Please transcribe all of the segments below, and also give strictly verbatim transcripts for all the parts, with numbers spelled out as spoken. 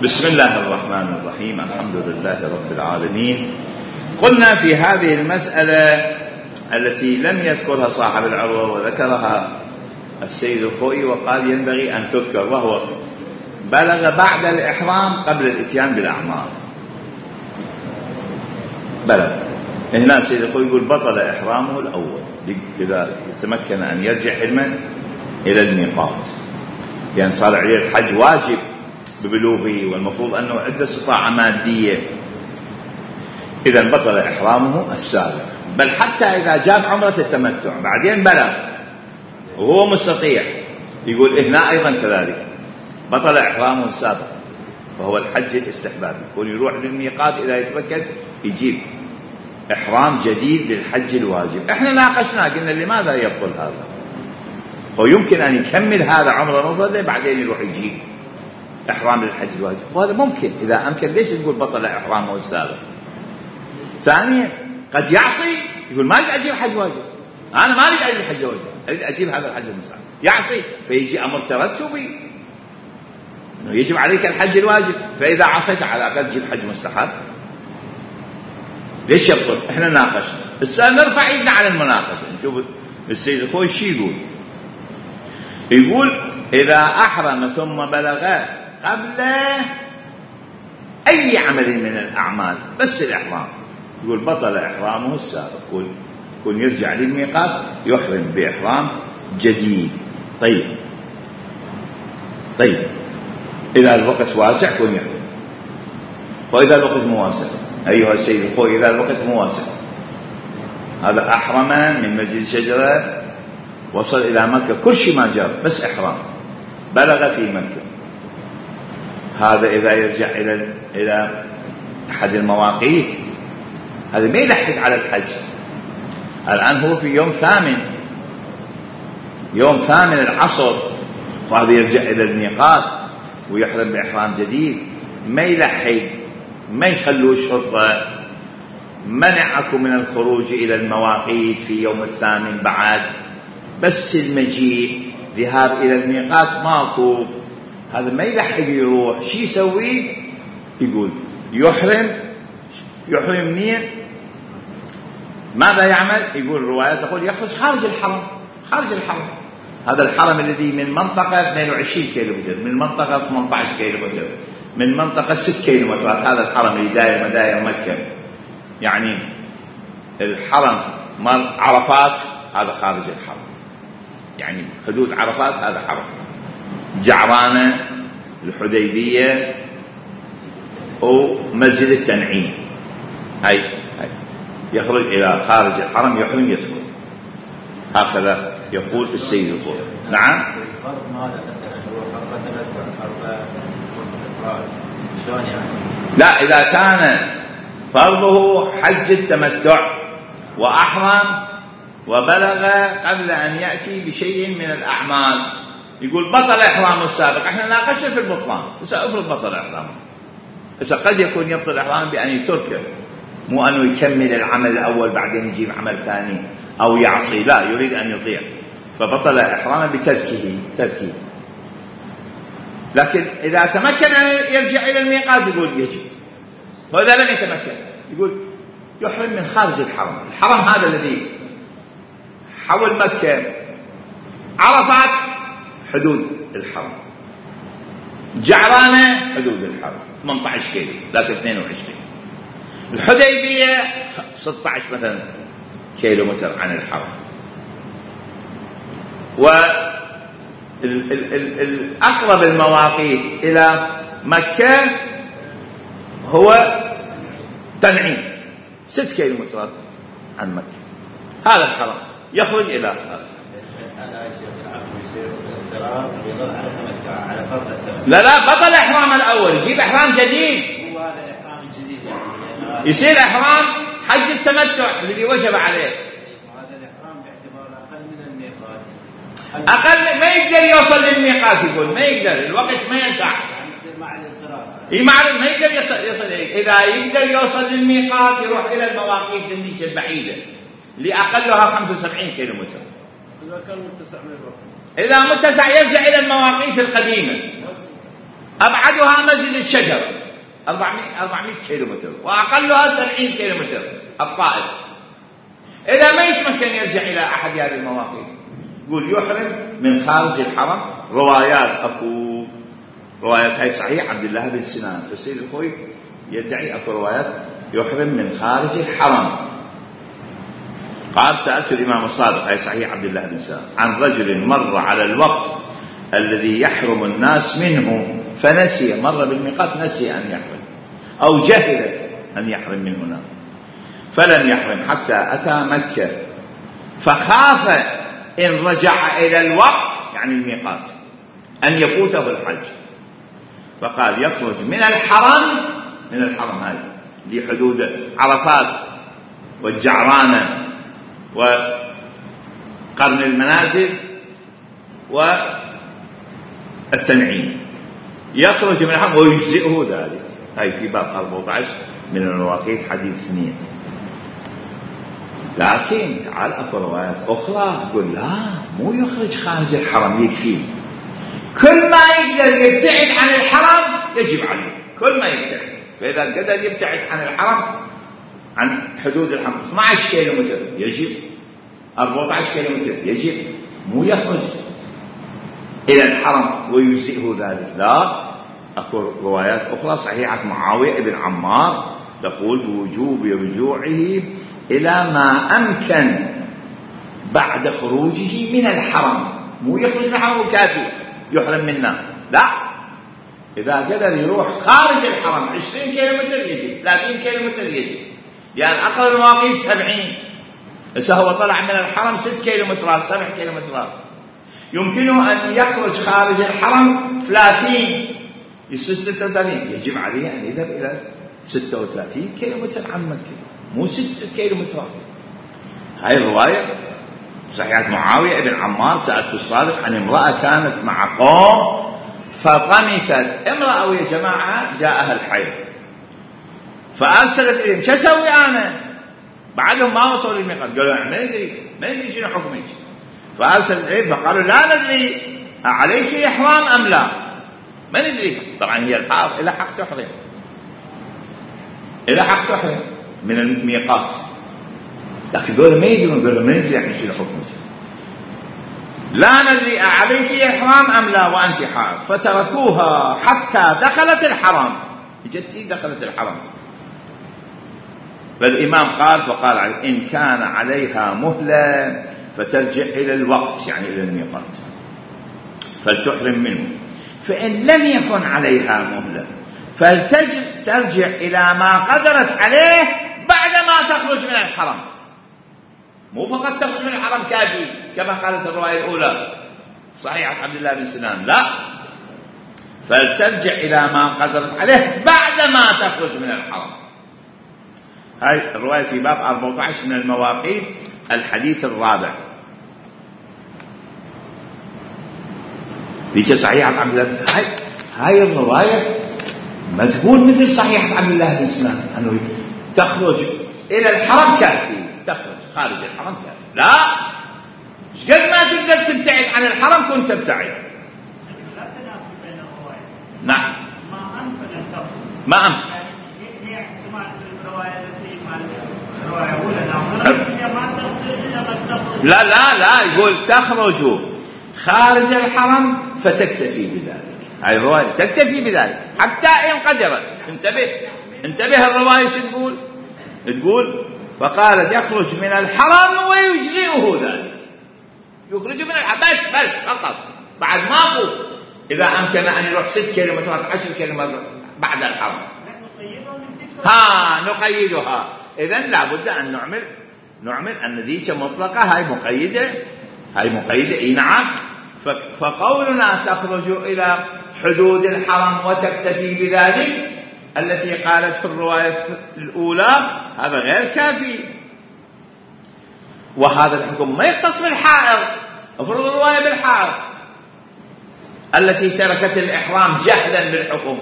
بسم الله الرحمن الرحيم. الحمد لله رب العالمين. قلنا في هذه المسألة التي لم يذكرها صاحب العروة وذكرها السيد الخوئي وقال ينبغي أن تذكر، وهو بلغ بعد الإحرام قبل الإتيان بالأعمال. بلغ هنا السيد الخوئي يقول بطل إحرامه الأول إذا تمكن أن يرجع حلما إلى الميقات، يعني صار عليه الحج واجب ببلوغه والمفروض أنه عنده استطاعة مادية، إذا بطل إحرامه السابق. بل حتى إذا جاب عمرة التمتع بعدين بلغ وهو مستطيع، يقول هنا أيضا كذلك بطل إحرامه السابق، وهو الحج الاستحبابي، يكون يروح للميقات إذا يتمكن يجيب إحرام جديد للحج الواجب. إحنا ناقشنا قلنا لماذا يبطل هذا؟ هو يمكن أن يكمل هذا عمره مفردة بعدين يروح يجيب إحرام للحج الواجب، وهذا ممكن. إذا أمكن ليش تقول بطل إحرامه السابق؟ ثانيا قد يعصي، يقول ما أريد أجيب حج واجب، أنا ما أريد أجيب حج واجب، أريد أجيب هذا الحج المستحب، يعصي فيجي أمر ترتبي إنه يجب عليك الحج الواجب، فإذا عصيت على الأقل تجيب حج مستحب. ليش يبطل؟ إحنا ناقشنا. السؤال نرفع إيدنا على المناقشة نشوف السيد الخوئي شو يقول. يقول إذا أحرم ثم بلغ قبل أي عمل من الأعمال بس الإحرام، يقول بطل إحرامه السابق، يقول يكون يرجع للميقات يحرم بإحرام جديد. طيب طيب إذا الوقت واسع يكون يحرم، وإذا الوقت مواسع أيها السيد الخوئي إذا الوقت مواسع، هذا أحرم من مسجد شجرة وصل إلى مكة كل شيء ما جاب بس إحرام، بلغ في مكة، هذا إذا يرجع إلى إلى أحد المواقيت هذا ما يلحق على الحج. الآن هو في يوم ثامن يوم ثامن العصر، وهذا يرجع إلى الميقات ويحرم بإحرام جديد، ما يلحق، ما يخلوا الشرطة منعكم من الخروج إلى المواقيت في يوم الثامن بعد، بس المجيء ذهاب إلى الميقات ماكو، هذا ما يلحق يروح. شي يسوي؟ يقول يحرم يحرم منين؟ ماذا يعمل؟ يقول الروايات تقول يخرج خارج الحرم، خارج الحرم، هذا الحرم الذي من منطقة اثنين وعشرين كيلومتر، من منطقة ثمانية عشر كيلومتر، من منطقة ستة كيلومترات، هذا الحرم اللي داير مداير مكة، يعني الحرم مال عرفات هذا خارج الحرم، يعني حدود عرفات هذا حرم، جعرانة، الحديبية، ومسجد التنعيم، هاي هاي يخرج إلى خارج الحرم يحرم يدخل، هكذا يقول السيد الخوئي. نعم. الفرض ماذا مثلا هو فرض تمتع فرض إفراد شلون يعني؟ لا، إذا كان فرضه حج التمتع وأحرم وبلغ قبل أن يأتي بشيء من الأعمال، يقول بطل إحرامه السابق. احنا ناقشنا في البطلان، سأفرض بطل إحرامه. إذا قد يكون يبطل إحرامه بأن يتركه، مو أنه يكمل العمل الأول بعدين يجيب عمل ثاني أو يعصي، لا، يريد أن يطيع، فبطل إحرامه بتركه تركه. لكن إذا تمكن أن يرجع إلى الميقات يقول يجب، وإذا لم يتمكن يقول يحرم من خارج الحرم. الحرم هذا الذي حول مكة، عرفات حدود الحرم، جعرانة حدود الحرم ثمانية عشر كيلو لكن اثنين وعشرين، الحديبية ستة عشر مثلا كيلو متر عن الحرم، والأقرب المواقيت إلى مكة هو تنعيم ست كيلو مترات عن مكة، هذا الحرم يخرج إلى خارج. لا لا، بطل إحرام الأول، يجيب إحرام جديد، هو هذا الإحرام الجديد يعني يصير إحرام حج التمتع الذي وجب عليه. هذا الإحرام باعتبار أقل من الميقات، أقل ما يقدر يوصل للميقات، يقول ما يقدر، الوقت ما يسع، يعني يصير مع الاضطرار، إيه مع ما يقدر يصل, يصل إليه. إذا يقدر يوصل للميقات يروح إلى المواقيت النيجة البعيدة اللي أقلها خمسة وسبعين كيلو متر. إذا كان متسع من الوقت، إذا متسع يرجع إلى المواقيت القديمة أبعدها مسجد الشجر أربعمائة كيلو متر، وأقلها سبعين كيلو متر الطائف. إذا ما يتمكن يرجع إلى أحد هذه المواقيت، يقول يحرم من خارج الحرم. روايات أكو روايات هاي صحيح عبد الله بن سنان، فالسيد الخوي يدعي أكو روايات يحرم من خارج الحرم. قال سألت الإمام الصادق، هاي صحيح عبد الله بن سنان، عن رجل مر على الوقت الذي يحرم الناس منه فنسي، مر بالميقات نسي أن يحرم أو جهل أن يحرم من هنا فلم يحرم حتى أتى مكة، فخاف إن رجع إلى الوقت يعني الميقات أن يفوته الحج، فقال يخرج من الحرم، من الحرم هذه لحدود عرفات والجعرانة وقرن المنازل والتنعيم، يخرج من الحرم ويجزئه ذلك. هاي في باب أربعة عشر من المواقيت حديث اثنين. لكن تعال أكو روايات أخرى تقول لا، مو يخرج خارج الحرم يكفي، كل ما يقدر يبتعد عن الحرم يجب عليه، كل ما يبتعد. فإذا قدر يبتعد عن الحرم، عن حدود الحرم اثنا عشر كيلو متر يجب، أربعة عشر كيلو متر يجب، مو يخرج إلى الحرم ويجزئه ذلك. لا، أكو روايات أخرى صحيحة معاوية بن عمار تقول بوجوب رجوعه إلى ما أمكن بعد خروجه من الحرم، مو يخرج من الحرم وكافي يحرم منا، لا، إذا قدر يروح خارج الحرم عشرين كيلو متر يجب، ثلاثين كيلو متر يجب، لأن يعني أقل المواقيت سبعين. إذا هو طلع من الحرم ست كيلو مترات، سبع كيلو مترات، يمكنه أن يخرج خارج الحرم ثلاثين، يصير ستة وثلاثين، يجب عليه أن يذهب إلى ستة وثلاثين كيلو متر عن مكة، مو ستة كيلو متر. هاي الرواية صحيحة معاوية بن عمار. سألت الصادق عن امرأة كانت مع قوم فطمثت، امرأة يا جماعة جاءها الحيض، فأرسلت إليهم، شو أسوي أنا؟ بعدهم ما وصلوا للميقات، قالوا ما ندري ما ندري شنو حكمك. فأرسلت إليهم فقالوا لا ندري عليك إحرام أم لا، ما ندري. طبعا هي الحائض إلى حق تحرم، إلى حق تحرم من الميقات، لكن دول ما يدرون، قالوا ما ندري يعني شنو حكمك، لا ندري عليك إحرام أم لا وأنت حائض. فتركوها حتى دخلت الحرم، جتي دخلت الحرم. فالإمام قال فقال إن كان عليها مهلة فترجع إلى الوقت يعني إلى الميقات فلتحرم منه، فإن لم يكن عليها مهلة فلترجع إلى ما قدرت عليه بعدما تخرج من الحرم، مو فقط تخرج من الحرم كافي كما قالت الرواية الأولى صحيحة عبد الله بن سنان، لا، فلترجع إلى ما قدرت عليه بعدما تخرج من الحرم. هاي الرواية في باب أربعة عشر من المواقيت الحديث الرابع. ديك صحيحة عبد الله. هاي هاي الرواية ما تقول مثل صحيحة عبد الله بن سنان أنه تخرج إلى الحرم كافي، تخرج خارج الحرم كافي، لا، قد ما تقدر تبتعد عن الحرم كنت تبتعد. نعم، ما أمكن لا لا لا، يقول تخرج خارج الحرم فتكتفي بذلك. هاي الرواية تكتفي بذلك حتى إن قدرت. انتبه انتبه الرواية شو تقول؟ تقول فقالت يخرج من الحرم ويجزئه ذلك، يخرج من الحرم بس بس فقط، بعد ما قول إذا أمكن أن يروح ست كيلومترات عشر كيلومترات بعد الحرم. ها نقيدها. إذن لابد أن نعمل نعمل أن ذيك مطلقة، هاي مقيدة، هاي مقيدة إيه نعم. فقولنا تخرج إلى حدود الحرم وتكتفي بذلك التي قالت في الرواية الأولى هذا غير كافي، وهذا الحكم ما يختص بالحائض. افرض الرواية بالحائض التي تركت الإحرام جهلا بالحكم،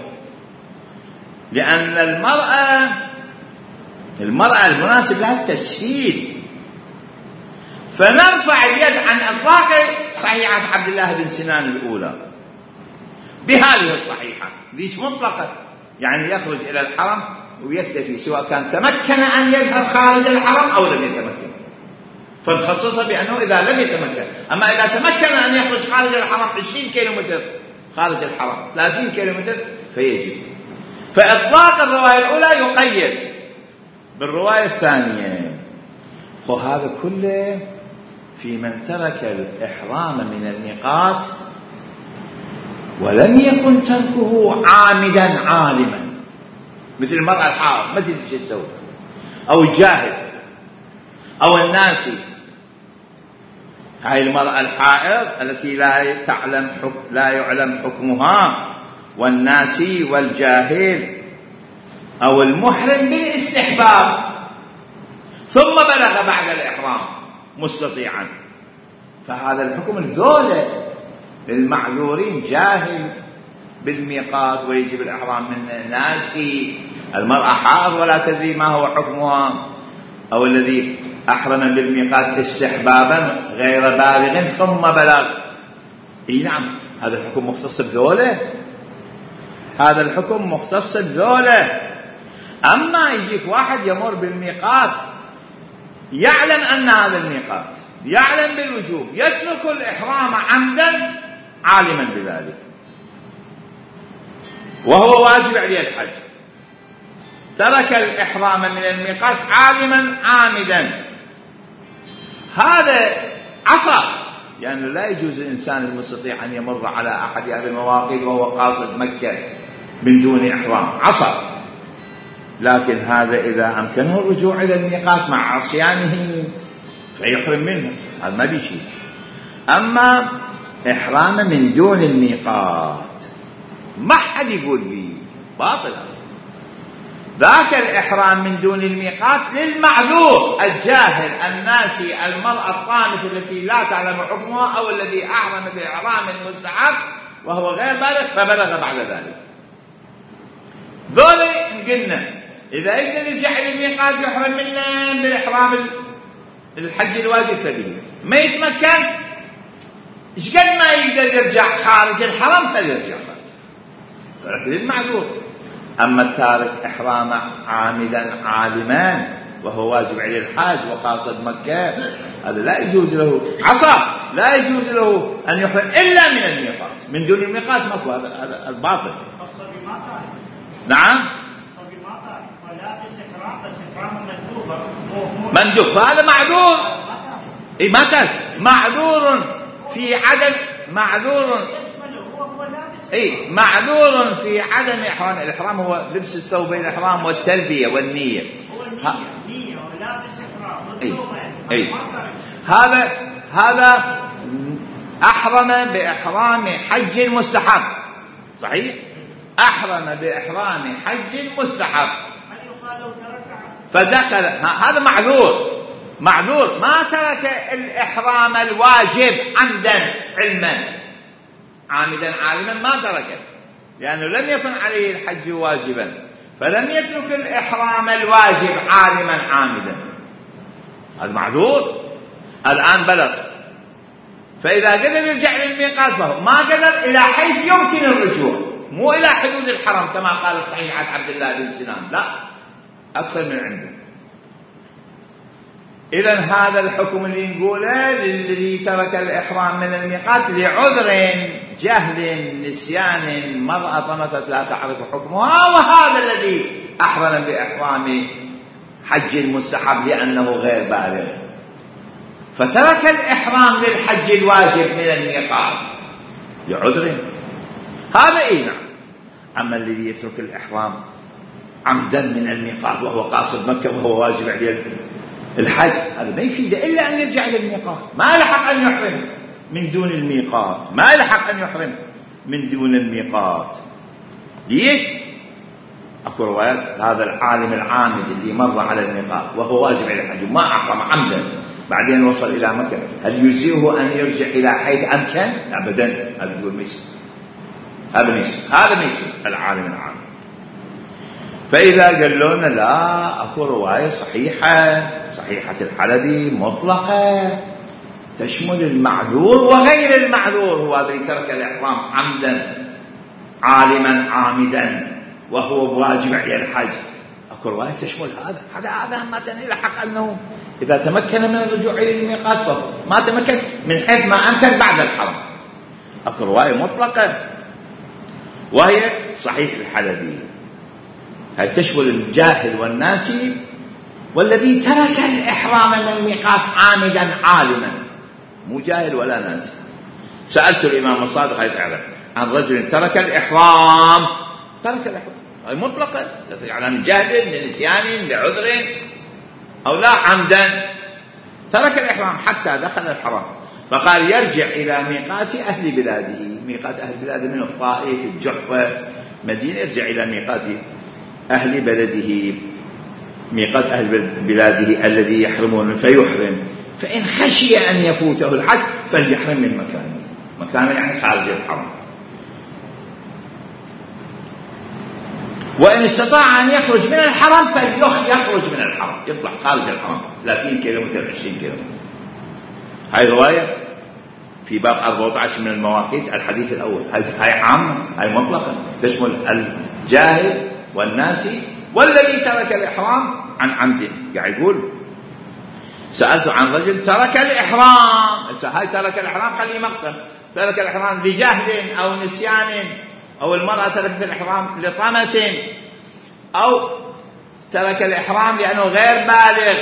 لأن المرأة المرأة المناسب لها التسهيل، فنرفع اليد عن إطلاق صحيحة عبد الله بن سنان الأولى بهذه الصحيحة ذيك مطلقة، يعني يخرج إلى الحرم ويكتفي سواء كان تمكن أن يذهب خارج الحرم أو لم يتمكن، فنخصصها بأنه إذا لم يتمكن. أما إذا تمكن أن يخرج خارج الحرم عشرين كيلومتر خارج الحرم ثلاثين كيلومتر فيجب. فإطلاق الرواية الأولى يقيد بالرواية الثانية. وهذا كله في من ترك الإحرام من الميقات ولم يكن تركه عامدا عالما، مثل المرأة الحائض مثل الجسد أو الجاهل أو الناسي. هاي المرأة الحائض التي لا تعلم حكم لا يعلم حكمها، والناسي والجاهل، أو المحرم بالاستحباب ثم بلغ بعد الإحرام مستطيعا، فهذا الحكم الذولة للمعذورين. جاهل بالميقات ويجب الإحرام من ناسي، المرأة حائض ولا تدري ما هو حكمها، أو الذي أحرم بالميقات استحبابا غير بالغ ثم بلغ. إيه نعم، هذا الحكم مختص بذوله، هذا الحكم مختص بذوله. أما يجيك واحد يمر بالميقات يعلم أن هذا الميقات، يعلم بالوجوب، يترك الإحرام عمدا عالما بذلك وهو واجب عليه الحج، ترك الإحرام من الميقات عالما عامدا، هذا عصى. يعني لا يجوز الإنسان المستطيع أن يمر على أحد هذه المواقيت وهو قاصد مكة من دون إحرام، عصى. لكن هذا إذا أمكنه الرجوع إلى الميقات مع عصيانه فيحرم منه، هذا ما بيشيء. أما إحرام من دون الميقات ما حد يقول بي باطل، ذاك الإحرام من دون الميقات للمعذور الجاهل الناسي، المرأة الطامثة التي لا تعلم حكمها، أو الذي أحرم بإحرام المستحب وهو غير بالغ فبلغ بعد ذلك. ذولي قلنا إذا يقدر يرجع إلى الميقات يحرم منه بالإحرام الحج الواجب فبه، ما يتمكن إيش قد ما يقدر يرجع خارج الحرم فليرجع خارج، لكن المعذور. أما التارك إحرام عامدا عالما وهو واجب عليه الحاج وقاصد مكة، هذا لا يجوز له، عصى، لا يجوز له أن يحرم إلا من الميقات، من دون الميقات ماكو، هذا الباطل. نعم مندوب، هذا معذور. إيه ما تارك، معذور في عدم، معذور اي معذور في عدم احرام. الاحرام هو لبس الثوبين، الاحرام والتلبيه والنيه. هو النيه ولابس احرام والثوبين. اي هذا هذا احرم باحرام حج مستحب، صحيح، احرم باحرام حج مستحب فدخل، هذا معذور، معذور ما ترك الإحرام الواجب عمدا علما، عامدا عالما ما تركه، لأنه لم يكن عليه الحج واجبا فلم يترك الإحرام الواجب عالما عامدا، هذا معذور. الآن بلغ، فإذا قدر يرجع للميقات فهو، ما قدر إلى حيث يمكن الرجوع، مو إلى حدود الحرم كما قال صحيحة عبد الله بن سنان، لا، أكثر من عنده. إذن هذا الحكم اللي نقوله للذي ترك الإحرام من الميقات لعذر، جهل، نسيان، مرأة طمثت لا تعرف حكمها، وهذا الذي أحرم بإحرام حج المستحب لأنه غير بالغ فترك الإحرام للحج الواجب من الميقات لعذر، هذا إيه نعم. أما الذي يترك الإحرام عمدا من الميقات وهو قاصد مكة وهو واجب عليه الحج، هذا ما يفيد إلا أن يرجع للميقات، ما لحق أن يحرم من دون الميقات، ما لحق أن يحرم من دون الميقات. ليش؟ أكو روايات هذا العالم العامد اللي مر على الميقات وهو واجب عليه الحج وما أحرم عمدا بعدين وصل إلى مكة، هل يجزئه أن يرجع إلى حيث أمكن؟ أبدا، هذا يقول ميسر، هذا ميسر، هذا ميسر العالم العامد. فإذا قالوا لنا لا، أكو رواية صحيحة، صحيحة الحلبي مطلقة تشمل المعذور وغير المعذور، هو الذي ترك الإحرام عمدا عالما عامدا وهو واجب على الحج. اكو روايه تشمل هذا هذا هذا مثلا يلحق انه اذا تمكن من الرجوع الى الميقات فهو ما تمكن من حيث ما امكن بعد الحرم. اكو روايه مطلقه وهي صحيح الحلبي، هي تشمل الجاهل والناسي والذي ترك الإحرام من الميقات عامدا عالما، مو جاهل ولا ناسي. سألت الإمام الصادق يسأل عن رجل ترك الإحرام، ترك الإحرام هي مطلقة، يعني عن جهل لنسيان لعذر أو لا عمدا، ترك الإحرام حتى دخل الحرم، فقال يرجع إلى ميقات أهل بلاده. ميقات أهل بلاده من الطائف الجحفة مدينة، يرجع إلى ميقات أهل بلده ميقات أهل بلاده الذي يحرمون فيحرم، فإن خشي أن يفوته الحج فليحرم من مكانه، مكانه يعني خارج الحرم. وإن استطاع أن يخرج من الحرم فليخرج من الحرم، يطلع خارج الحرم ثلاثين كيلومتر عشرين كيلومتر. هاي رواية في باب أربعة عشر من المواقيت الحديث الأول، هاي عامة، هاي مطلقة تشمل الجاهل والناسي والذي ترك الإحرام عن عمد. قاعد يقول سألت عن رجل ترك الإحرام، هاي ترك الإحرام خليه مقصد، ترك الإحرام لجهل أو نسيان، أو المرأة تركت الإحرام لطمث، أو ترك الإحرام لأنه غير بالغ،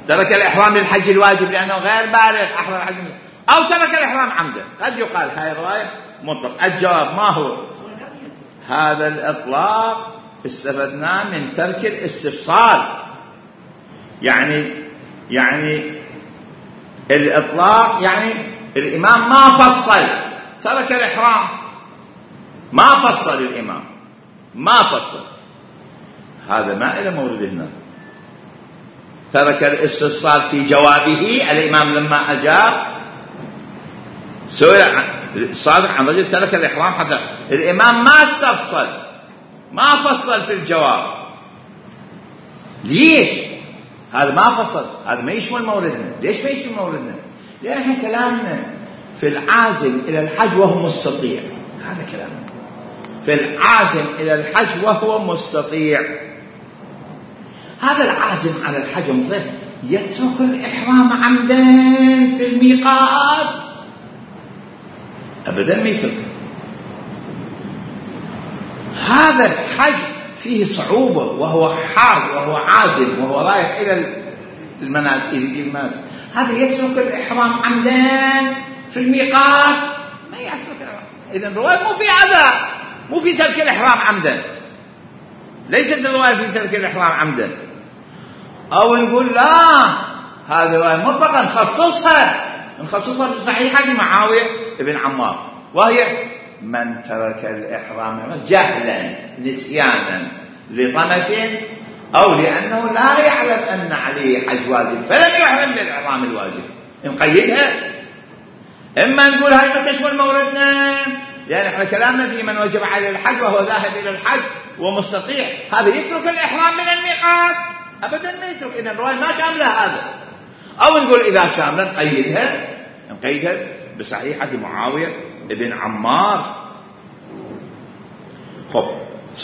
ترك الإحرام للحج الواجب لأنه غير بالغ أحرم الحج، أو ترك الإحرام عمدا. قد يقال هاي الرواية مطلق. الجواب ما هو؟ هذا الإطلاق استفدناه من ترك الاستفصال، يعني يعني الإطلاق يعني الإمام ما فصل، ترك الإحرام ما فصل، الإمام ما فصل، هذا ما إلى مورد هنا. ترك الاستفصال في جوابه، الإمام لما أجاب سئل الصادق عن رجل ترك الإحرام حتى الإمام ما استفصل، ما فصل في الجواب. ليش؟ هذا ما فصل، هذا ما يشمل موردنا. ليش ما يشمل موردنا؟ لأن احنا كلامنا في العازم إلى الحج وهو مستطيع، هذا كلامنا في العازم إلى الحج وهو مستطيع. هذا العازم على الحج مثلا يترك الإحرام عمدا في الميقات؟ أبدا ما يترك. هذا الحج فيه صعوبة وهو حار وهو عازم وهو رايح إلى المناسك يجي المناسك، هذا يترك الإحرام عمدا في الميقات؟ ما يترك الإحرام. إذن الرواية مو في عذاب، مو في ترك الإحرام عمدا، ليست الرواية في ترك الإحرام عمدا. أو نقول لا، هذه الرواية مطلقا نخصصها نخصصها في صحيحة معاوية ابن عمار، وهي من ترك الإحرام جهلا نسيانا لطمث أو لأنه لا يعلم أن عليه حج واجب فلم يحرم بالإحرام الواجب. نقيدها، إما نقول هاي ما تشمل موردنا، لأن احنا كلامنا في من وجب عليه الحج وهو ذاهب إلى الحج ومستطيع، هذا يترك الإحرام من الميقات؟ أبدا ما يترك. إذن الرواية ما شاملة هذا. أو نقول إذا شاملة نقيدها نقيدها بصحيحة معاوية ابن عمار. خب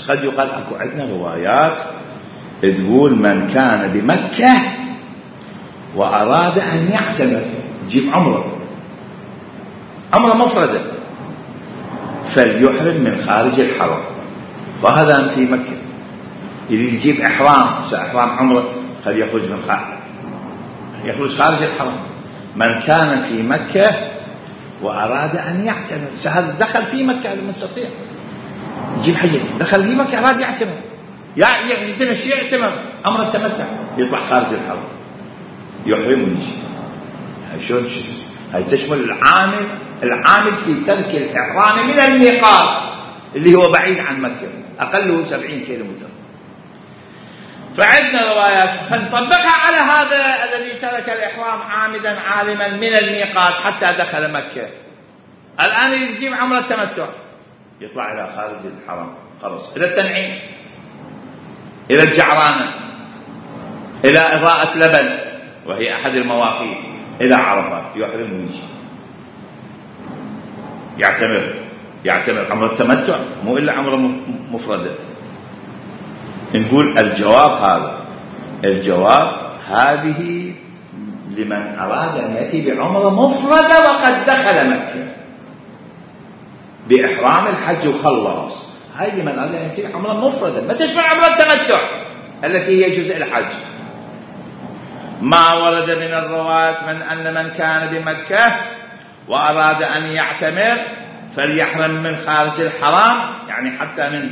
قد يقال أكو عندنا روايات تقول من كان بمكة وأراد أن يعتمر، يجيب عمره عمره مفردة، فليحرم من خارج الحرم. وهذا في مكة يريد يجيب إحرام سأحرام عمره، خل يخرج من خارج يخرج خارج الحرم. من كان في مكة وأراد أن يعتمر، هذا دخل في مكة المستطيع يجيب حجة، دخل في مكة أراد يعتمر، يعتمر شيء يعتمر عمره التمتع، يطلع خارج الحرم يحرم ويجي. هاي شلون؟ هاي تشمل العامل العامل في ترك الإحرام من الميقات اللي هو بعيد عن مكة، أقله سبعين كيلو متر. فعندنا روايات فنطبقها على هذا الذي ترك الإحرام عامدا عالما من الميقات حتى دخل مكة. الآن يجيب عمره التمتع يطلع إلى خارج الحرم، خلص إلى التنعيم، إلى الجعرانة، إلى إضاءة لبن وهي أحد المواقيت، إلى عرفات، يحرم ويجي يعتمر يعتمر عمرة التمتع مو إلا عمرة مفردة. نقول الجواب هذا، الجواب هذه لمن أراد أن يأتي بعمرة مفردة وقد دخل مكة بإحرام الحج وخلص، هاي لمن أراد أن يأتي بعمرة مفردة ما تشمل عمرة التمتع التي هي جزء الحج. ما ورد من الروايات من أن من كان بمكة وأراد أن يعتمر فليحرم من خارج الحرام، يعني حتى من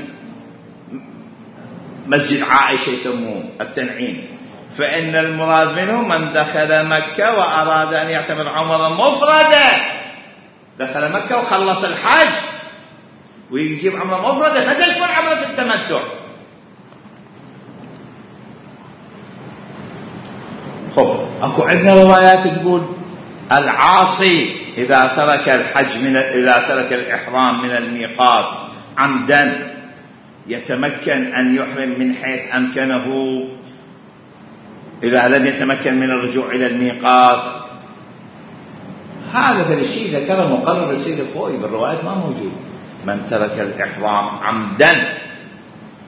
مسجد عائشة يسموه التنعيم، فإن المراد منه من دخل مكة وأراد أن يعتمر عمرة مفردة، دخل مكة وخلص الحج ويجيب عمرة مفردة ما تشمل عمرة التمتع. خب أكو عندنا روايات تقول العاصي إذا ترك الحج من إذا ترك الإحرام من الميقات عمدا يتمكن أن يحرم من حيث أمكنه إذا لم يتمكن من الرجوع إلى الميقات. هذا الشيء ذكره مقرر السيد الخوئي بالروايات ما موجود. من ترك الإحرام عمدا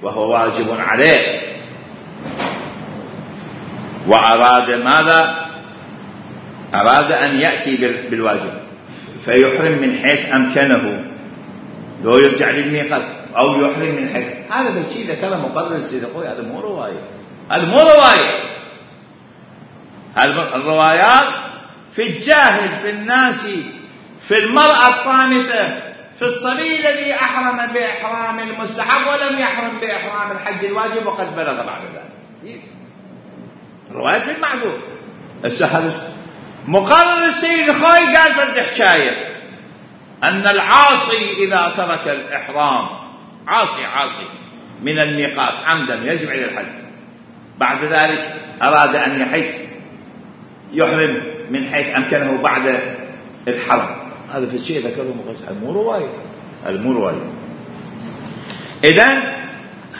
وهو واجب عليه وأراد ماذا؟ أراد أن يأتي بالواجب فيحرم من حيث أمكنه لو يرجع للميقات أو يحرم من حيث، هذا الشيء ذكره مقرر السيد الخوئي، هذا مو رواية، هذا مو رواية. الروايات في الجاهل، في الناس، في المرأة الطامثة، في الصبي الذي أحرم بإحرام المستحب ولم يحرم بإحرام الحج الواجب وقد بلغ بعد ذلك. الروايات في المعذور. السهل مقرر السيد الخوئي قال فرد حكاية أن العاصي إذا ترك الإحرام عاصي عاصي من الميقات عمدا يجب عليه الحج، بعد ذلك أراد أن يحج يحرم من حيث أمكنه بعد الحرم، هذا في الشيء ذكره مقصد مو رواية، هذا مو رواية. إذن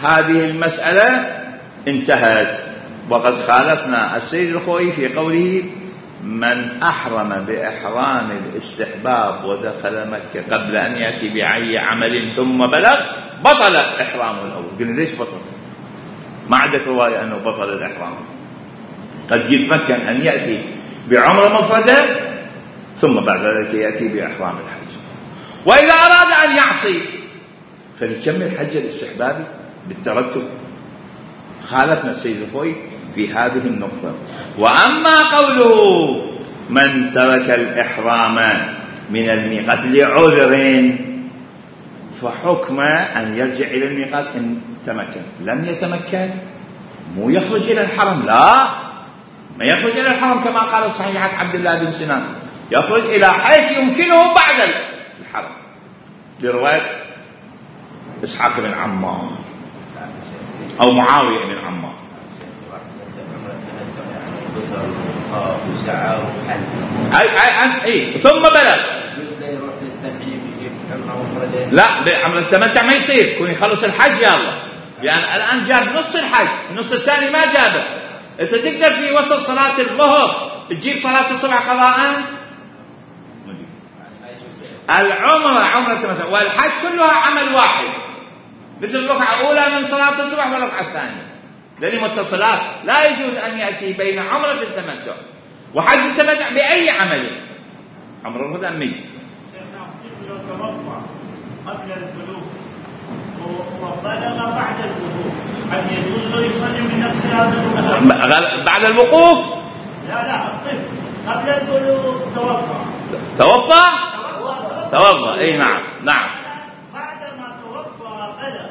هذه المسألة انتهت، وقد خالفنا السيد الخوئي في قوله من أحرم بإحرام الاستحباب ودخل مكة قبل أن يأتي بأي عمل ثم بلغ بطل إحرامه الأول. قلنا ليش بطل؟ ما عندك رواية أنه بطل الإحرام، قد يتمكن أن يأتي بعمرة مفردة ثم بعد ذلك يأتي بإحرام الحج. وإذا أراد أن يعصي فليكمل حج الاستحبابي بالترتب. خالفنا السيد الخوئي في هذه النقطة. وأما قوله من ترك الإحرام من الميقات لعذر فحكم أن يرجع إلى الميقات إن تمكن، لم يتمكن مو يخرج إلى الحرم، لا ما يخرج إلى الحرم كما قال صحيحة عبد الله بن سنان، يخرج إلى حيث يمكنه بعد الحرم برواية إسحاق بن عمار أو معاوية بن عمار. أي أي أي ثم بلغ لا بعمل التمتع ما يصير، يكون يخلص الحج يا الله، لأن يعني الآن جاب نص الحج، النص الثاني ما جابه. إذا تقدر في وسط صلاة الظهر تجيب صلاة الصبح قضاء، العمرة عمرة التمتع والحج كلها عمل واحد، مثل الركعة الأولى من صلاة الصبح والركعة الثانية، لأنه متصلات، لا يجوز أن يأتي بين عمرة التمتع وحج التمتع بأي عمل. عمرة الهدى ميت لو توضأ قبل البلوغ وبلغ بعد البلوغ هل يجوز له يصلي من نفس هذا المكان بعد الوقوف؟ لا لا الطفل قبل البلوغ توفى توفى توفى اي نعم نعم بعد ما توفى بلغ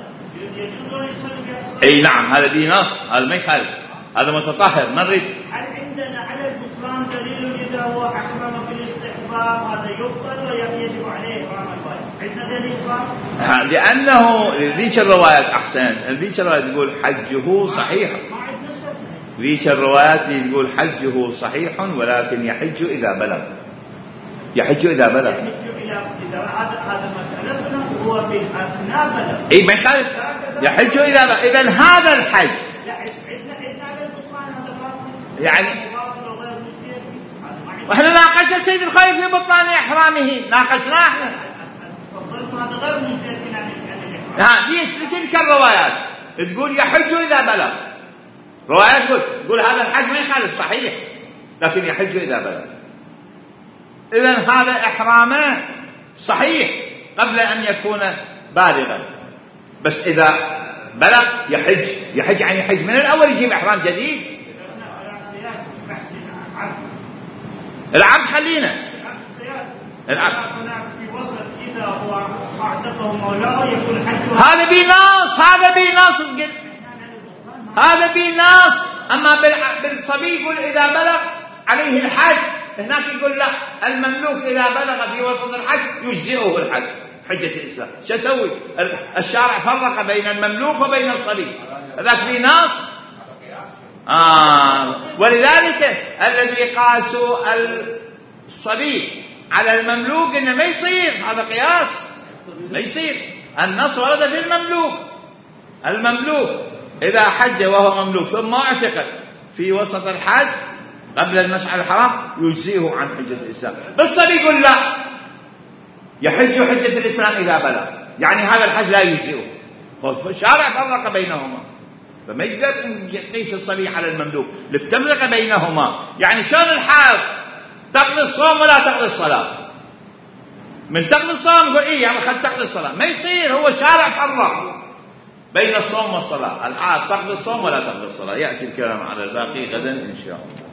يجوز له يصلي بها اي نعم، هذا دي نص، هذا ما يخالف، هذا متطهر ما نريد. هل عندنا على البطلان دليل اذا هو احرم بالاستحباب هذا يبطل ويجب عليه احرام الواجب؟ عندنا دليل خاص؟ لانه ذيك الروايات احسن، ذيك الروايات تقول حجه صحيح، ذيك الروايات تقول حجه صحيح ولكن يحج اذا بلغ، يحج اذا بلغ اذا هذا هذا مسالتنا هو في اثناء بلغ اي ما يخالف، يحج اذا بلغ. اذا هذا الحج يعني واحنا ناقشنا السيد الخوئي في بطلان احرامه، ناقشناه احنا. نظر مش يمكن عن الإحرام. ها ليش لتلك الروايات تقول يحج إذا بلغ، روايات تقول تقول هذا الحج ما يخالف صحيح، لكن يحج إذا بلغ. إذن هذا إحرامه صحيح قبل أن يكون بالغا، بس إذا بلغ يحج. يحج يعني يحج من الأول يجيب إحرام جديد. العبد خلينا العبد في وسط إذا هو أعتقه مولاه يكون حج. هذا بنص، هذا بنص هذا بنص. أما بالصبي يقول إذا بلغ عليه الحج، هناك يقول لا، المملوك إذا بلغ في وسط الحج يجزئه الحج. حجة الإسلام شو أسوي؟ الشارع فرق بين المملوك وبين الصبي، هذاك بنص. آه ولذلك الذي قاسوا الصبي على المملوك إنه ما يصير، هذا قياس ما يصير. النص ورد في المملوك. المملوك إذا حج وهو مملوك ثم اعتق في وسط الحج قبل المشعر الحرام يجزيه عن حجة الإسلام. بالصبي يقول لا، يحج حجة الإسلام إذا بلغ، يعني هذا الحج لا يجزيه. الشارع فرق بينهما، فما يقدر يقيس الصبي على المملوك للتفرقة بينهما. يعني شلون الحائض تقضي الصوم ولا تقضي الصلاة؟ من تقضي الصوم يقول إيه يعني خد تقضي الصلاة، ما يصير. هو شارع فرق بين الصوم والصلاة. الحائض تقضي الصوم ولا تقضي الصلاة. يأتي الكلام على الباقي غدا إن شاء الله.